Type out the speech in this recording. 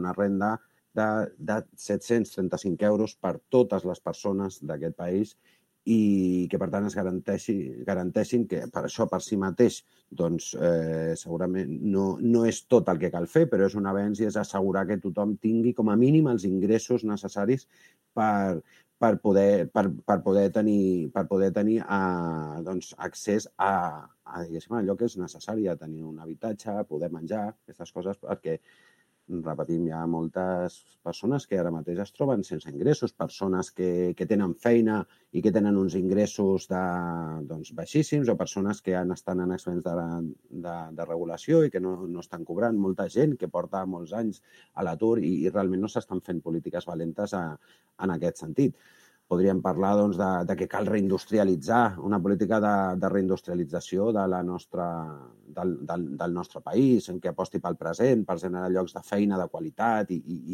una renda de 735 euros per totes les persones d'aquest país i que, per tant, es garanteixin que per això per si mateix doncs, segurament no és tot el que cal fer, però és un avenç i és assegurar que tothom tingui com a mínim els ingressos necessaris per poder tenir doncs, accés a allò que és necessari, a tenir un habitatge, a poder menjar, aquestes coses, perquè repetim, hi ha moltes persones que ara mateix es troben sense ingressos, persones que tenen feina i que tenen uns ingressos doncs, baixíssims, o persones que estan en expedients de regulació i que no estan cobrant. Molta gent que porta molts anys a l'atur i realment no s'estan fent polítiques valentes en aquest sentit. Podríem parlar doncs, de que cal reindustrialitzar, una política de reindustrialització del nostre país, en què aposti pel present, per generar llocs de feina de qualitat i